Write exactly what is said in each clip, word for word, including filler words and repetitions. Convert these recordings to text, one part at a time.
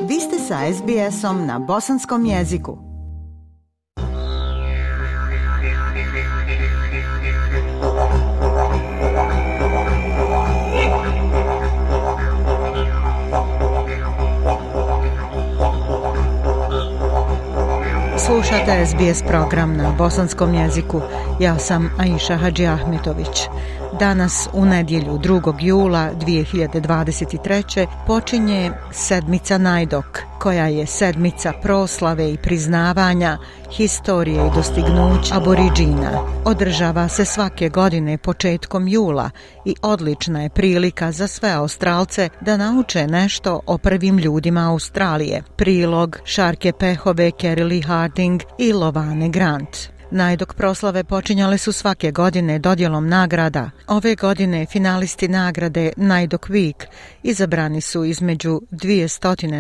Vi ste sa es be esom na bosanskom jeziku. Slušate es be es program na bosanskom jeziku. Ja sam Aisha Hadži Ahmetović. Danas u nedjelju drugog jula dvije hiljade dvadeset treće. počinje sedmica Najdok, koja je sedmica proslave i priznavanja historije i dostignuća Aboriđina. Održava se svake godine početkom jula i odlična je prilika za sve Australce da nauče nešto o prvim ljudima Australije. Prilog Šarke Pehove, Kerili Harding i Lovane Grant. Najdok proslave počinjale su svake godine dodjelom nagrada. Ove godine finalisti nagrade Najdok Week izabrani su između dvije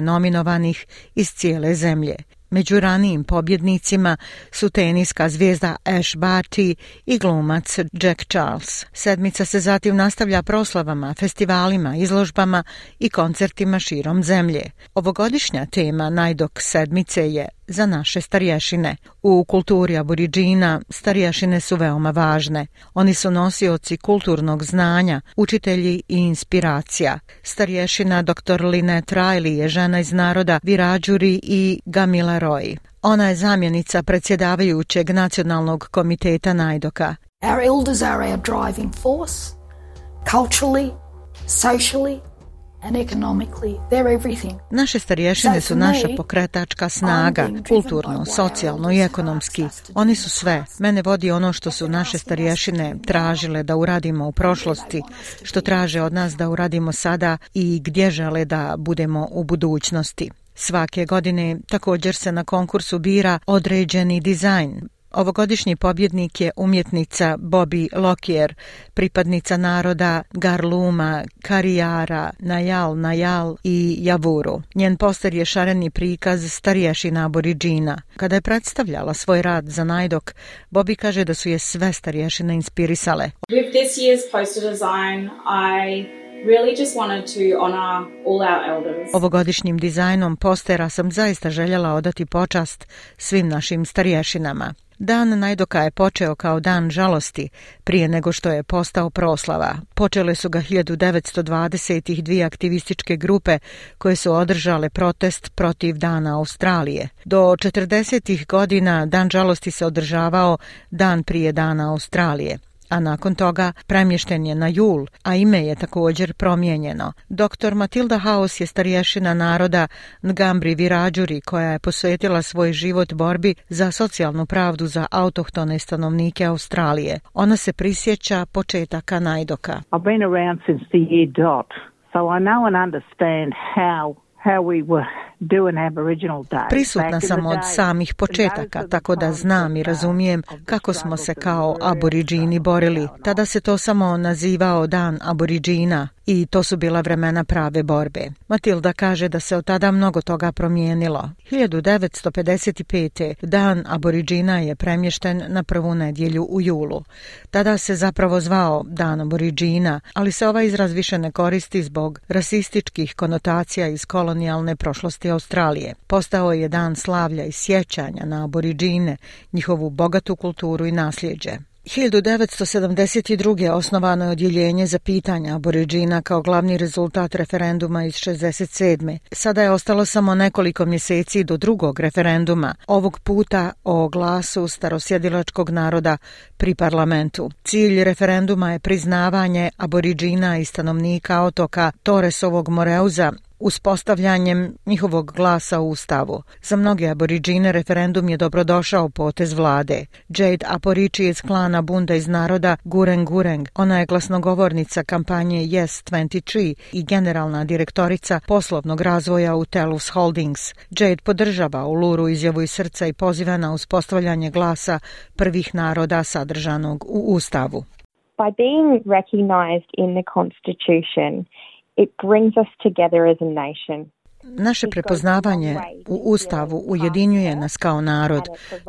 nominovanih iz cijele zemlje. Među ranijim pobjednicima su teniska zvijezda Ash Barty i glumac Jack Charles. Sedmica se zatim nastavlja proslavama, festivalima, izložbama i koncertima širom zemlje. Ovogodišnja tema Najdok sedmice je za naše starješine. U kulturi Aboriđina starješine su veoma važne. Oni su nosioci kulturnog znanja, učitelji i inspiracija. Starješina doktor Lynette Riley je žena iz naroda Wiradjuri i Gamilaroi. Ona je zamjenica predsjedavajućeg nacionalnog komiteta Najdoka. Our elders are our driving force, culturally, socially, and economically. They're everything. Naše starješine su naša pokretačka snaga, kulturno, socijalno i ekonomski. Oni su sve. Mene vodi ono što su naše starješine tražile da uradimo u prošlosti, što traže od nas da uradimo sada i gdje žele da budemo u budućnosti. Svake godine također se na konkursu bira određeni dizajn. Ovogodišnji pobjednik je umjetnica Bobby Lockyer, pripadnica naroda Garluma, Karijara, Najal, Najal i Javuru. Njen poster je šareni prikaz starješina Aboriđina. Kada je predstavljala svoj rad za Najdok, Bobby kaže da su je sve starješine inspirisale. With this year's poster design, I really just wanted to honor all our elders. Ovogodišnjim dizajnom postera sam zaista željela odati počast svim našim starješinama. Dan Najdoka je počeo kao dan žalosti prije nego što je postao proslava. Počele su ga hiljadu devetsto dvadesetih dvije aktivističke grupe koje su održale protest protiv Dana Australije. Do četrdesetih godina dan žalosti se održavao dan prije Dana Australije, a nakon toga premješten je na jul, a ime je također promijenjeno. doktor Matilda House je starješina naroda Ngambri Wiradjuri koja je posvetila svoj život borbi za socijalnu pravdu za autohtone stanovnike Australije. Ona se prisjeća početaka Najdoka. I've been around since the year dot, so I know and understand how how we were doing Aboriginal Day. Prisutna sam od samih početaka, tako da znam i razumijem kako smo se kao Aboriđini borili. Tada se to samo nazivao Dan Aboriđina i to su bila vremena prave borbe. Matilda kaže da se od tada mnogo toga promijenilo. hiljadu devetsto pedeset pete. Dan Aboriđina je premješten na prvu nedjelju u julu. Tada se zapravo zvao Dan Aboriđina, ali se ovaj izraz više ne koristi zbog rasističkih konotacija iz kolonijalne prošlosti Australije. Postao je dan slavlja i sjećanja na Aboriđine, njihovu bogatu kulturu i nasljeđe. hiljadu devetsto sedamdeset druge. osnovano je odjeljenje za pitanja Aboriđina kao glavni rezultat referenduma iz šezdeset sedme. Sada je ostalo samo nekoliko mjeseci do drugog referenduma, ovog puta o glasu starosjedilačkog naroda pri parlamentu. Cilj referenduma je priznavanje Aboriđina i stanovnika otoka Torresovog Moreuza uspostavljanjem njihovog glasa u Ustavu. Za mnoge Aboriđine referendum je dobrodošao potez vlade. Jade Aporici iz klana Bunda iz naroda Gureng Gureng. Ona je glasnogovornica kampanje Yes dvadeset tri i generalna direktorica poslovnog razvoja u Telus Holdings. Jade podržava Uluru izjavu iz srca i poziva na uspostavljanje glasa prvih naroda sadržanog u Ustavu. By being recognized in the Constitution, it brings us together as a nation. Naše prepoznavanje u Ustavu ujedinjuje nas kao narod.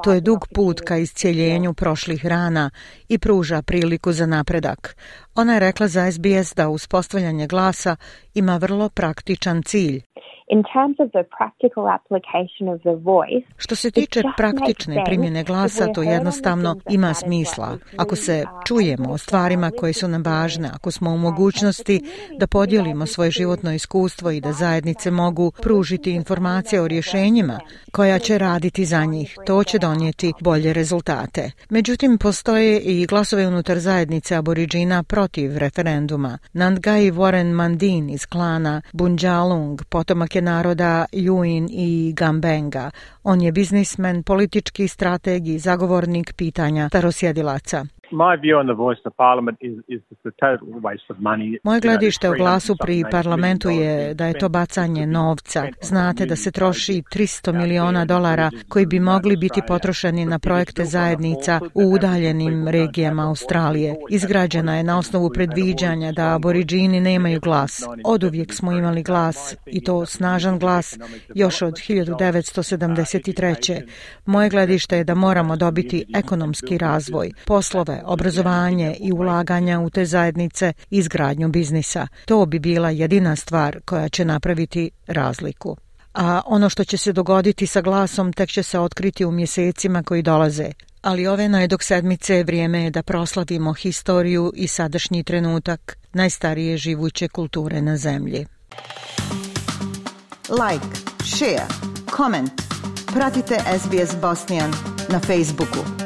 To je dug put ka iscijeljenju prošlih rana i pruža priliku za napredak. Ona je rekla za es be es da uspostavljanje glasa ima vrlo praktičan cilj. In terms of the practical application of the voice, što se tiče praktične primjene glasa, to jednostavno ima smisla. Ako se čujemo o stvarima koje su nam važne, ako smo u mogućnosti da podijelimo svoje životno iskustvo i da zajednice mogu pružiti informacije o rješenjima koja će raditi za njih, to će donijeti bolje rezultate. Međutim, postoje i glasove unutar zajednice Aboriđina protiv referenduma. Nandgai Warren Mandin iz klana Bunjalung, potomak je naroda Yuin i Gambenga. On je biznismen, politički strateg i zagovornik pitanja starosjedilaca. Moje gledište o glasu pri parlamentu je da je to bacanje novca. Znate da se troši tristo miliona dolara koji bi mogli biti potrošeni na projekte zajednica u udaljenim regijama Australije. Izgrađena je na osnovu predviđanja da Aboriđini nemaju glas. Oduvijek smo imali glas, i to snažan glas, još od hiljadu devetsto sedamdeset treće. Moje gledište je da moramo dobiti ekonomski razvoj, poslove, obrazovanje i ulaganja u te zajednice, izgradnju biznisa. To bi bila jedina stvar koja će napraviti razliku. A ono što će se dogoditi sa glasom tek će se otkriti u mjesecima koji dolaze. Ali ove najdok sedmice vrijeme je da proslavimo historiju i sadašnji trenutak najstarije živuće kulture na zemlji. Like, share, comment. Pratite S B S Bosnian na Facebooku.